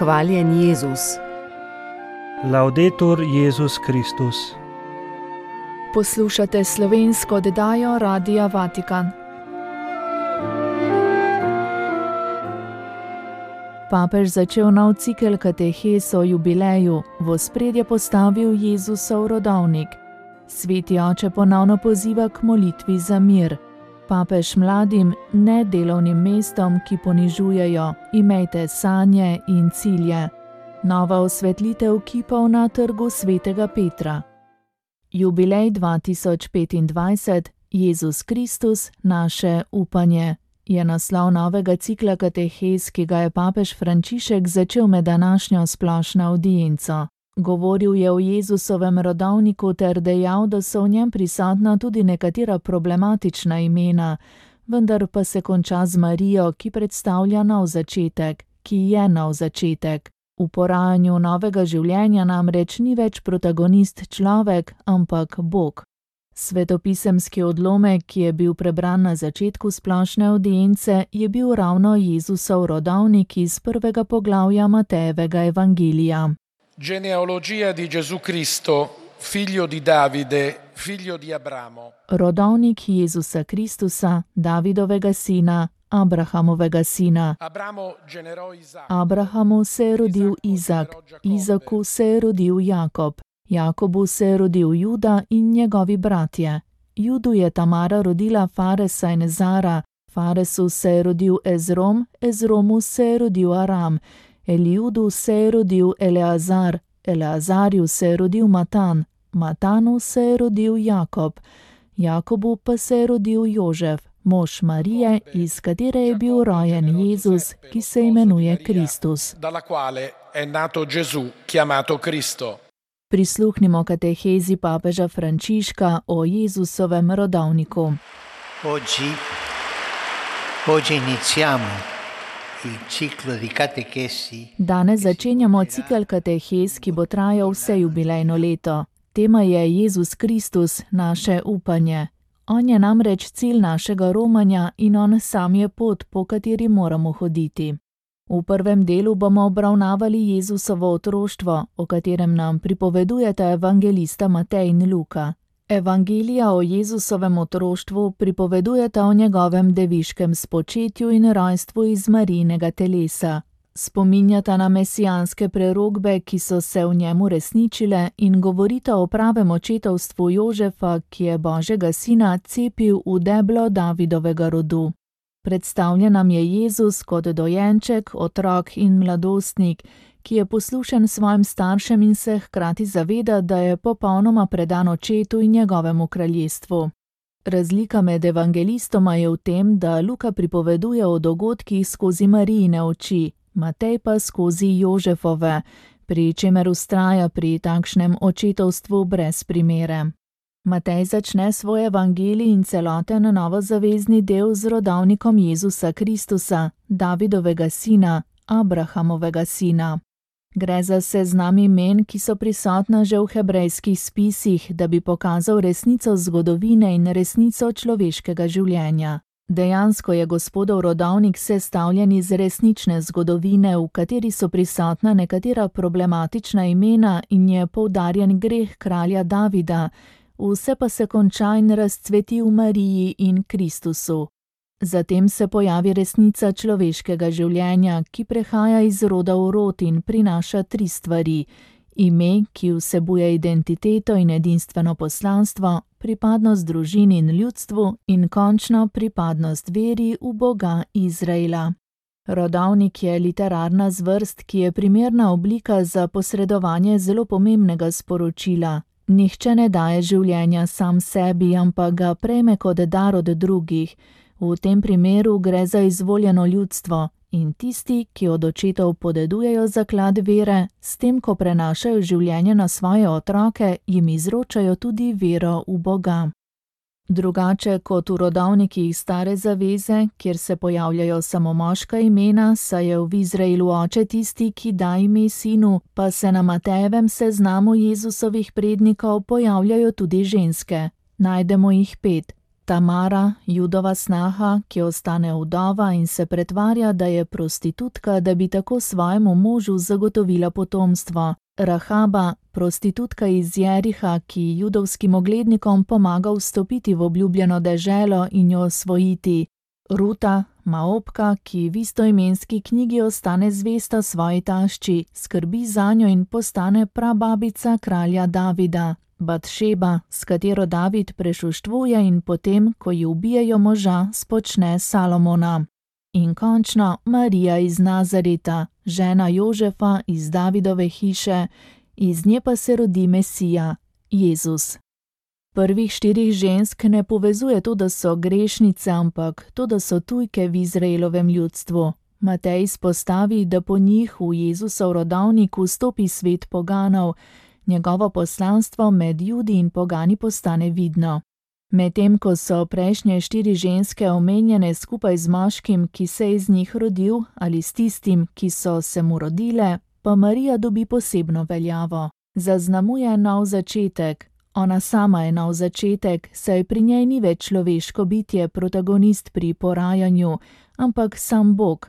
Hvaljen Jezus. Laudetur Jezus Kristus. Poslušate slovensko oddajo Radia Vatikan. Papež začel nov cikel katehes o jubileju, v ospredje postavil Jezusov rodovnik. Sveti oče ponovno poziva k molitvi za mir. Papež mladim, ne delovnim mestom, ki ponižujejo, imejte sanje in cilje. Nova osvetlitev kipov na trgu svetega Petra. Jubilej 2025, Jezus Kristus, naše upanje, je naslov novega cikla katehes, ki ga je papež Frančišek začel med današnjo splošno avdienco. Govoril je o Jezusovem rodovniku ter dejal, da so v njem prisotna tudi nekatera problematična imena, vendar pa se konča z Marijo, ki predstavlja nov začetek, ki je nov začetek. V porajanju novega življenja namreč ni več protagonist človek, ampak Bog. Svetopisemski odlomek, ki je bil prebran na začetku splošne avdience, je bil ravno Jezusov rodovnik iz prvega poglavja Matejevega evangelija. Genealogia di Gesù Cristo, figlio di Davide, figlio di Abramo. Rodovnik Jezusa Kristusa, Davidovega sina, Abrahamovega sina. Abrahamu se je rodil Izak, Izaku se je rodil Jakob, Jakobu se je rodil Juda in njegovi bratje. Judu je Tamara rodila Faresa in Zara, Faresu se je rodil Ezrom, Ezromu se je rodil Aram, Eliudu se je rodil Eleazar, Eleazarju se je rodil Matan, Matanu se je rodil Jakob, Jakobu pa se je rodil Jožef, mož Marije, iz katere je bil rojen Jezus, ki se imenuje Kristus. Prisluhnimo katehezi papeža Frančiška o Jezusovem rodovniku. Oggi iniziamo il ciclo di catechesi. Danes začenjamo cikel katehes, ki bo trajal vse jubilejno leto. Tema je Jezus Kristus, naše upanje. On je namreč cilj našega romanja in on sam je pot, po kateri moramo hoditi. V prvem delu bomo obravnavali Jezusovo otroštvo, o katerem nam pripovedujeta evangelista Matej in Luka. Evangelija o Jezusovem otroštvu pripovedujeta o njegovem deviškem spočetju in rojstvu iz Marijinega telesa. Spominjata na mesijanske prerokbe, ki so se v njemu resničile, in govorita o pravem očetovstvu Jožefa, ki je Božjega sina cepil v deblo Davidovega rodu. Predstavljen nam je Jezus kot dojenček, otrok in mladostnik, ki je poslušen svojim staršem in se hkrati zaveda, da je popolnoma predan očetu in njegovemu kraljestvu. Razlika med evangelistoma je v tem, da Luka pripoveduje o dogodkih skozi Marijine oči, Matej pa skozi Jožefove, pri čemer vztraja pri takšnem očetovstvu brez primere. Matej začne svoj evangelij in celoten novozavezni del z rodovnikom Jezusa Kristusa, Davidovega sina, Abrahamovega sina. Gre za seznam imen, ki so prisotna že v hebrejskih spisih, da bi pokazal resnico zgodovine in resnico človeškega življenja. Dejansko je Gospodov rodovnik sestavljen iz resnične zgodovine, v kateri so prisotna nekatera problematična imena in je poudarjen greh kralja Davida, vse pa se konča in razcveti v Mariji in Kristusu. Zatem se pojavi resnica človeškega življenja, ki prehaja iz roda v rod in prinaša tri stvari: ime, ki vsebuje identiteto in edinstveno poslanstvo, pripadnost družini in ljudstvu in končno pripadnost veri v Boga Izraela. Rodovnik je literarna zvrst, ki je primerna oblika za posredovanje zelo pomembnega sporočila. Nihče ne daje življenja sam sebi, ampak ga prejme kot dar od drugih. V tem primeru gre za izvoljeno ljudstvo in tisti, ki od očetov podedujejo zaklad vere, s tem, ko prenašajo življenje na svoje otroke, jim izročajo tudi vero v Boga. Drugače kot v rodovnikih Stare zaveze, kjer se pojavljajo samo moška imena, saj je v Izraelu oče tisti, ki da ime sinu, pa se na Matejevem seznamu Jezusovih prednikov pojavljajo tudi ženske. Najdemo jih 5. Tamara, Judova snaha, ki ostane vdova in se pretvarja, da je prostitutka, da bi tako svojemu možu zagotovila potomstvo. Rahaba, prostitutka iz Jeriha, ki judovskim oglednikom pomaga vstopiti v obljubljeno deželo in jo osvojiti. Ruta, Maopka, ki v istoimenski knjigi ostane zvesta svoji tašči, skrbi zanjo in postane prababica kralja Davida. Batšeba, s katero David prešuštvuje in potem, ko ji ubijejo moža, spočne Salomona. In končno Marija iz Nazareta, žena Jožefa iz Davidove hiše, iz nje pa se rodi Mesija, Jezus. Prvih 4 žensk ne povezuje to, da so grešnice, ampak to, da so tujke v Izraelovem ljudstvu. Matej izpostavi, da po njih v Jezusov rodovnik vstopi svet poganov, njegovo poslanstvo med Judi in pogani postane vidno. Medtem ko so prejšnje 4 ženske omenjene skupaj z moškim, ki se je iz njih rodil, ali s tistim, ki so se mu rodile, pa Marija dobi posebno veljavo. Zaznamuje nov začetek. Ona sama je nov začetek, saj pri njej ni več človeško bitje protagonist pri porajanju, ampak sam Bog.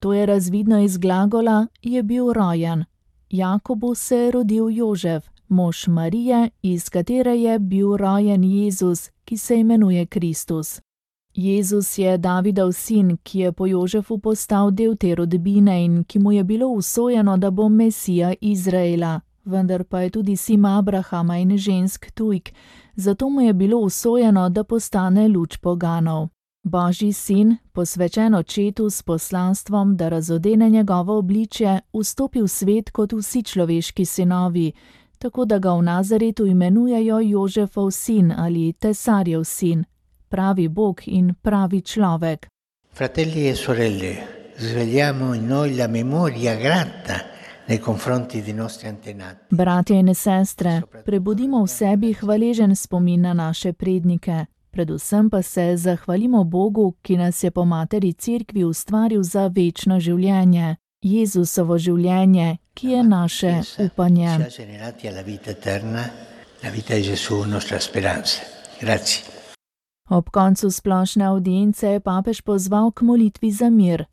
To je razvidno iz glagola je bil rojen. Jakobu se je rodil Jožef, mož Marije, iz katere je bil rojen Jezus, ki se imenuje Kristus. Jezus je Davidov sin, ki je po Jožefu postal del te rodbine in ki mu je bilo usojeno, da bo Mesija Izraela, vendar pa je tudi sin Abrahama in žensk tujk, zato mu je bilo usojeno, da postane luč poganov. Božji sin, posvečen očetu s poslanstvom, da razodene njegovo obličje, vstopi v svet kot vsi človeški sinovi, tako da ga v Nazaretu imenujejo Jožefov sin ali Tesarjev sin, pravi Bog in pravi človek. Fratelli e sorelle, svegliamo in noi la memoria grata nei confronti dei nostri antenati. Bratje in sestre, prebudimo v sebi hvaležen spomin na naše prednike. Predvsem pa se zahvalimo Bogu, ki nas je po materi Cerkvi ustvaril za večno življenje, Jezusovo življenje, ki je naše upanje. Ob koncu splošne avdience je papež pozval k molitvi za mir.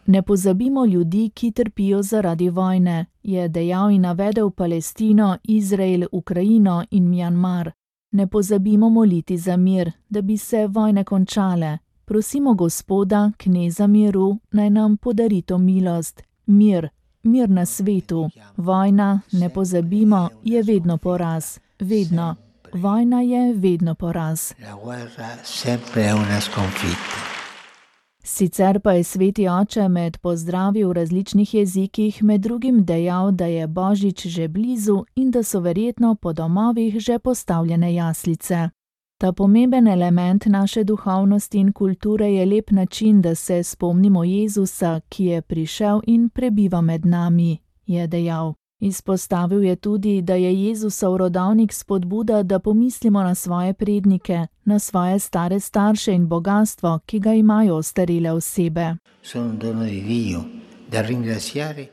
Ne pozabimo ljudi, ki trpijo zaradi vojne, je dejal in navedel Palestino, Izrael, Ukrajino in Mjanmar. Ne pozabimo moliti za mir, da bi se vojne končale. Prosimo Gospoda, kneza miru, naj nam podari to milost. Mir na svetu. Vojna, ne pozabimo, je vedno poraz. Vedno. Vojna je vedno poraz. Sicer pa je sveti oče med pozdravi v različnih jezikih med drugim dejal, da je Božič že blizu in da so verjetno po domovih že postavljene jaslice. Ta pomemben element naše duhovnosti in kulture je lep način, da se spomnimo Jezusa, ki je prišel in prebiva med nami, je dejal. Izpostavil je tudi, da je Jezusov rodovnik spodbuda, da pomislimo na svoje prednike, na svoje stare starše in bogastvo, ki ga imajo ostarele osebe.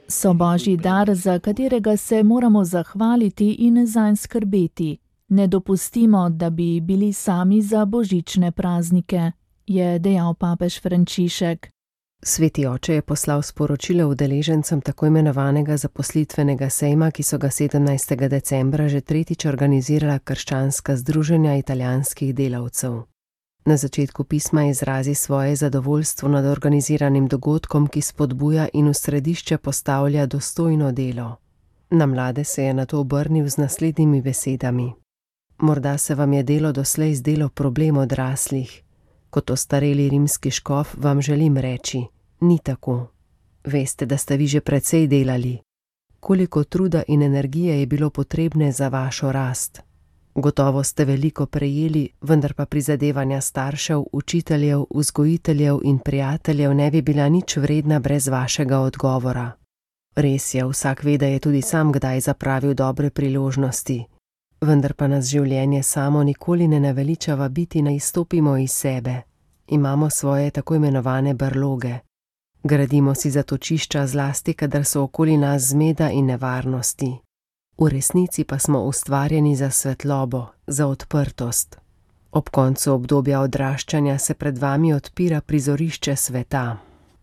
So Božji dar, za katerega se moramo zahvaliti in zanj skrbeti. Ne dopustimo, da bi bili sami za božične praznike, je dejal papež Frančišek. Sveti oče je poslal sporočilo udeležencem tako imenovanega zaposlitvenega sejma, ki so ga 17. decembra že tretjič organizirala krščanska združenja italijanskih delavcev. Na začetku pisma izrazi svoje zadovoljstvo nad organiziranim dogodkom, ki spodbuja in v središče postavlja dostojno delo. Na mlade se je nato obrnil z naslednjimi besedami. Morda se vam je delo doslej zdelo problem odraslih. Kot ostareli rimski škof vam želim reči, ni tako. Veste, da ste vi že precej delali. Koliko truda in energije je bilo potrebne za vašo rast. Gotovo ste veliko prejeli, vendar pa prizadevanja staršev, učiteljev, vzgojiteljev in prijateljev ne bi bila nič vredna brez vašega odgovora. Res je, vsak ve, da je tudi sam kdaj zapravil dobre priložnosti. Vendar pa nas življenje samo nikoli ne naveliča vabiti, naj izstopimo iz sebe. Imamo svoje tako imenovane brloge. Gradimo si zatočišča zlasti, kadar so okoli nas zmeda in nevarnosti. V resnici pa smo ustvarjeni za svetlobo, za odprtost. Ob koncu obdobja odraščanja se pred vami odpira prizorišče sveta.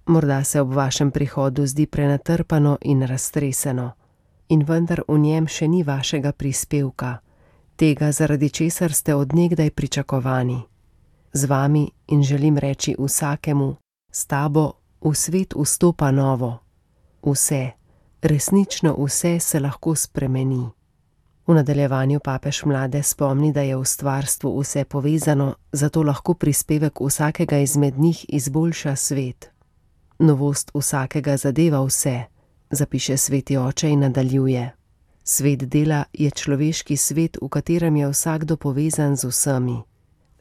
Morda se ob vašem prihodu zdi prenatrpano in raztreseno. In vendar v njem še ni vašega prispevka, tega, zaradi česar ste od nekdaj pričakovani. Z vami in želim reči vsakemu, s tabo v svet vstopa novo. Vse, resnično vse se lahko spremeni. V nadaljevanju papež mlade spomni, da je v stvarstvu vse povezano, zato lahko prispevek vsakega izmed njih izboljša svet. Novost vsakega zadeva vse, zapiše sveti oče in nadaljuje. Svet dela je človeški svet, v katerem je vsakdo povezan z vsemi.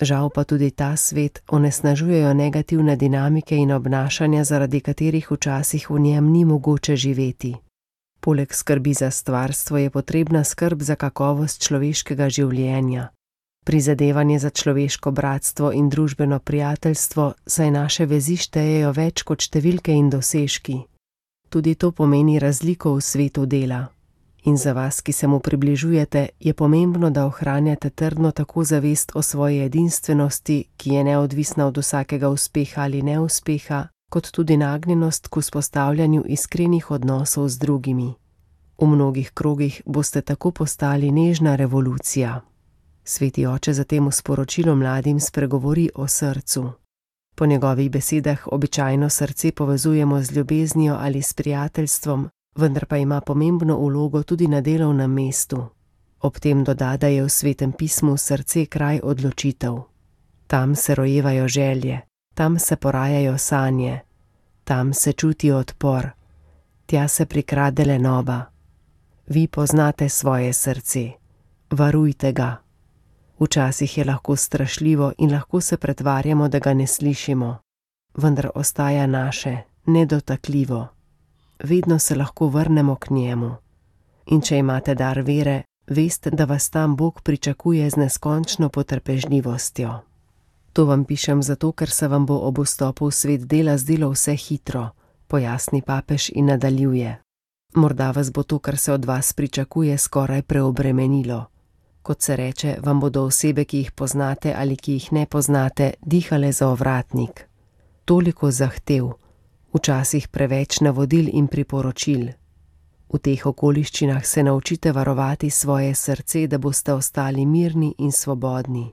Žal pa tudi ta svet onesnažujejo negativne dinamike in obnašanja, zaradi katerih včasih v njem ni mogoče živeti. Poleg skrbi za stvarstvo je potrebna skrb za kakovost človeškega življenja. Prizadevanje za človeško bratstvo in družbeno prijateljstvo, saj naše vezi štejejo več kot številke in dosežki. Tudi to pomeni razliko v svetu dela. In za vas, ki se mu približujete, je pomembno, da ohranjate trdno tako zavest o svoji edinstvenosti, ki je neodvisna od vsakega uspeha ali neuspeha, kot tudi nagnjenost k vzpostavljanju iskrenih odnosov z drugimi. V mnogih krogih boste tako postali nežna revolucija. Sveti oče zatem v sporočilu mladim spregovori o srcu. Po njegovih besedah običajno srce povezujemo z ljubeznijo ali s prijateljstvom, vendar pa ima pomembno vlogo tudi na delovnem mestu. Ob tem doda, da je v Svetem pismu srce kraj odločitev. Tam se rojevajo želje, tam se porajajo sanje, tam se čuti odpor, tja se prikrade lenoba. Vi poznate svoje srce, varujte ga. Včasih je lahko strašljivo in lahko se pretvarjamo, da ga ne slišimo, vendar ostaja naše, nedotakljivo. Vedno se lahko vrnemo k njemu. In če imate dar vere, veste, da vas tam Bog pričakuje z neskončno potrpežljivostjo. To vam pišem zato, ker se vam bo ob vstopu v svet dela zdelo vse hitro, pojasni papež in nadaljuje. Morda vas bo to, kar se od vas pričakuje, skoraj preobremenilo. Kot se reče, vam bodo osebe, ki jih poznate ali ki jih ne poznate, dihale za ovratnik. Toliko zahtev, včasih preveč navodil in priporočil. V teh okoliščinah se naučite varovati svoje srce, da boste ostali mirni in svobodni.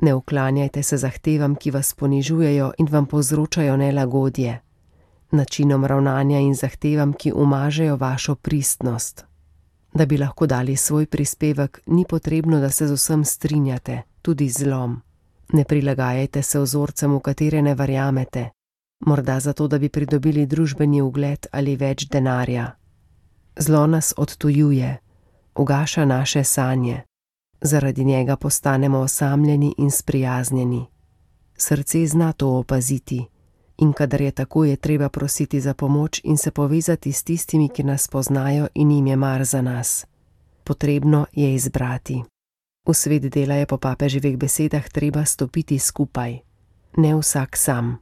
Ne uklanjajte se zahtevam, ki vas ponižujejo in vam povzročajo nelagodje, načinom ravnanja in zahtevam, ki umažejo vašo pristnost. Da bi lahko dali svoj prispevek, ni potrebno, da se z vsem strinjate, tudi z zlom. Ne prilagajajte se vzorcem, v katere ne verjamete, morda zato, da bi pridobili družbeni ugled ali več denarja. Zlo nas odtujuje, ugaša naše sanje. Zaradi njega postanemo osamljeni in sprijaznjeni. Srce zna to opaziti in kadar je tako, je treba prositi za pomoč in se povezati s tistimi, ki nas poznajo in jim je mar za nas. Potrebno je izbrati. V svet dela je po papeževih besedah treba stopiti skupaj, ne vsak sam.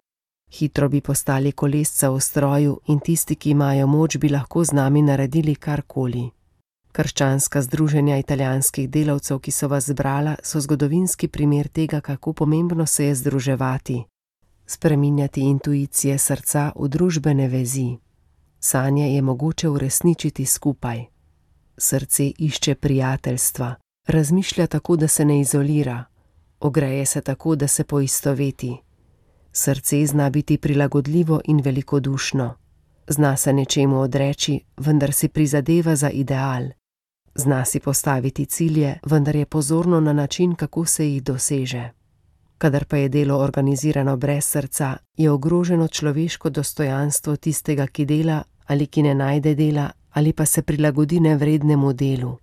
Hitro bi postali kolesca v stroju in tisti, ki imajo moč, bi lahko z nami naredili karkoli. Krščanska združenja italijanskih delavcev, ki so vas zbrala, so zgodovinski primer tega, kako pomembno se je združevati, spreminjati intuicije srca v družbene vezi. Sanje je mogoče uresničiti skupaj. Srce išče prijateljstva, razmišlja tako, da se ne izolira, ogreje se tako, da se poistoveti. Srce zna biti prilagodljivo in velikodušno. Zna se nečemu odreči, vendar si prizadeva za ideal. Zna si postaviti cilje, vendar je pozorno na način, kako se jih doseže. Kadar pa je delo organizirano brez srca, je ogroženo človeško dostojanstvo tistega, ki dela ali ki ne najde dela ali pa se prilagodi nevrednemu delu.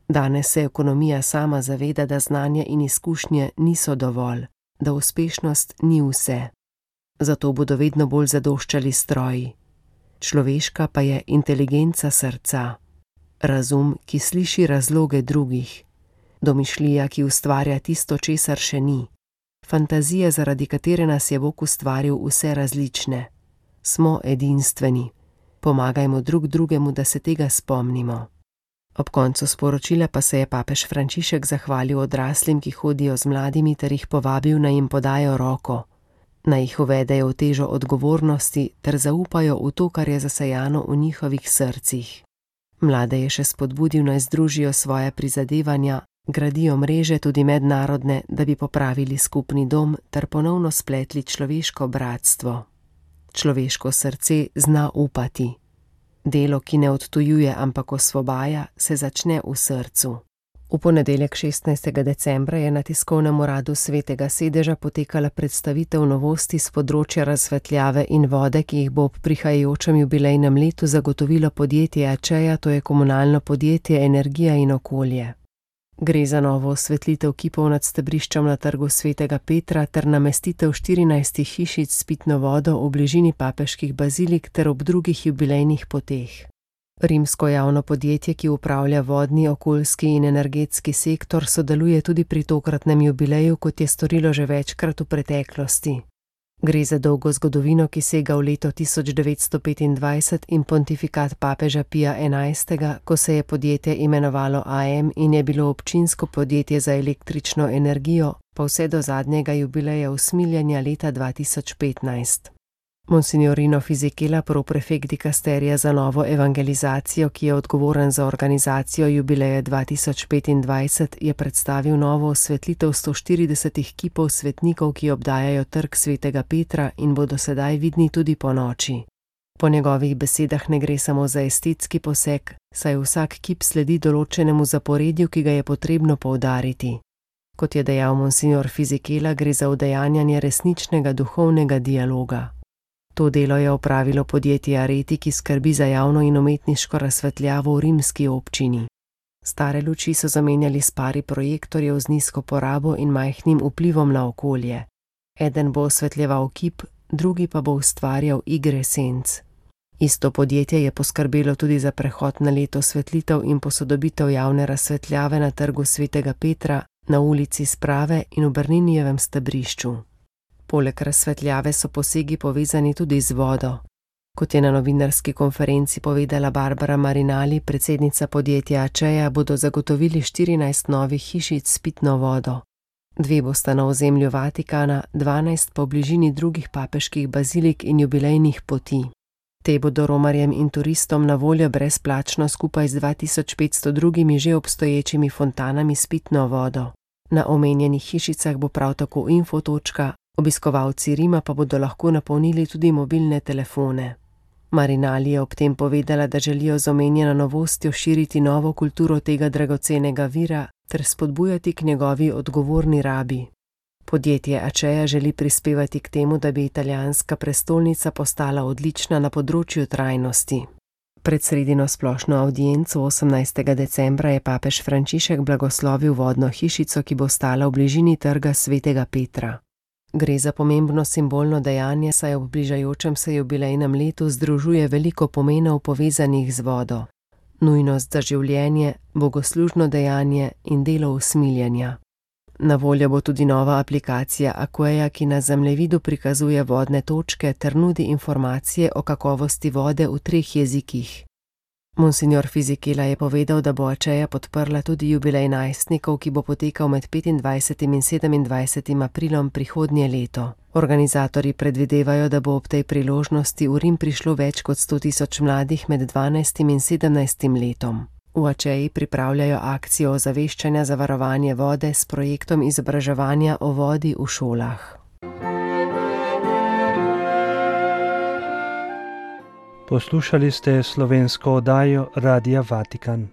Danes se ekonomija sama zaveda, da znanje in izkušnje niso dovolj, da uspešnost ni vse. Zato bodo vedno bolj zadoščali stroji. Človeška pa je inteligenca srca. Razum, ki sliši razloge drugih. Domišljija, ki ustvarja tisto, česar še ni. Fantazija, zaradi katere nas je Bog ustvaril vse različne. Smo edinstveni. Pomagajmo drug drugemu, da se tega spomnimo. Ob koncu sporočila pa se je papež Frančišek zahvalil odraslim, ki hodijo z mladimi, ter jih povabil, naj jim podajo roko, naj jih uvedejo v težo odgovornosti ter zaupajo v to, kar je zasejano v njihovih srcih. Mlade je še spodbudil, naj združijo svoje prizadevanja, gradijo mreže tudi mednarodne, da bi popravili skupni dom ter ponovno spletli človeško bratstvo. Človeško srce zna upati. Delo, ki ne odtujuje, ampak osvobaja, se začne v srcu. V ponedeljek 16. decembra je na tiskovnem uradu Svetega sedeža potekala predstavitev novosti s področja razsvetljave in vode, ki jih bo ob prihajajočem jubilejnem letu zagotovilo podjetje Acea, to je komunalno podjetje Energija in okolje. Gre za novo osvetlitev kipov nad stebriščem na trgu Svetega Petra ter namestitev 14 hišic s pitno vodo v bližini papeških bazilik ter ob drugih jubilejnih poteh. Rimsko javno podjetje, ki upravlja vodni, okoljski in energetski sektor, sodeluje tudi pri tokratnem jubileju, kot je storilo že večkrat v preteklosti. Gre za dolgo zgodovino, ki sega v leto 1925 in pontifikat papeža Pija XI., ko se je podjetje imenovalo AM in je bilo občinsko podjetje za električno energijo, pa vse do zadnjega jubileja usmiljenja leta 2015. Monsignorino Fisichella, proprefekt dikasterija za novo evangelizacijo, ki je odgovoren za organizacijo jubileja 2025, je predstavil novo osvetlitev 140 kipov svetnikov, ki obdajajo trg Svetega Petra in bodo sedaj vidni tudi ponoči. Po njegovih besedah ne gre samo za estetski poseg, saj vsak kip sledi določenemu zaporedju, ki ga je potrebno poudariti. Kot je dejal monsignor Fisichella, gre za udejanjanje resničnega duhovnega dialoga. To delo je opravilo podjetje Areti, ki skrbi za javno in umetniško razsvetljavo v rimski občini. Stare luči so zamenjali s pari projektorjev z nizko porabo in majhnim vplivom na okolje. Eden bo osvetljeval kip, drugi pa bo ustvarjal igre senc. Isto podjetje je poskrbelo tudi za prehod na leto osvetlitev in posodobitev javne razsvetljave na trgu Svetega Petra, na ulici Sprave in v Bernindijevem stebrišču. Poleg razsvetljave so posegi povezani tudi z vodo. Kot je na novinarski konferenci povedala Barbara Marinali, predsednica podjetja Acea, bodo zagotovili 14 novih hišic s pitno vodo. 2 bosta na ozemlju Vatikana, 12 pa v bližini drugih papeških bazilik in jubilejnih poti. Te bodo romarjem in turistom na voljo brezplačno skupaj z 2500 drugimi že obstoječimi fontanami s pitno vodo. Na omenjenih hišicah bo prav tako infotočka, obiskovalci Rima pa bodo lahko napolnili tudi mobilne telefone. Marinali je ob tem povedala, da želijo z omenjeno novostjo širiti novo kulturo tega dragocenega vira ter spodbujati k njegovi odgovorni rabi. Podjetje Acea želi prispevati k temu, da bi italijanska prestolnica postala odlična na področju trajnosti. Pred sredino splošno avdienco 18. decembra je papež Frančišek blagoslovil vodno hišico, ki bo stala v bližini trga Svetega Petra. Gre za pomembno simbolno dejanje, saj ob bližajočem se jubilejnem letu združuje veliko pomenov povezanih z vodo. Nujnost za življenje, bogoslužno dejanje in delo usmiljenja. Na voljo bo tudi nova aplikacija Aquea, ki na zemljevidu prikazuje vodne točke ter nudi informacije o kakovosti vode v 3 jezikih. Monsignor Fisichella je povedal, da bo Acea podprla tudi jubilej najstnikov, ki bo potekal med 25. in 27. aprilom prihodnje leto. Organizatorji predvidevajo, da bo ob tej priložnosti v Rim prišlo več kot 100.000 mladih med 12. in 17. letom. V Acei pripravljajo akcijo ozaveščanja za varovanje vode s projektom izobraževanja o vodi v šolah. Poslušali ste slovensko oddajo Radia Vatikan.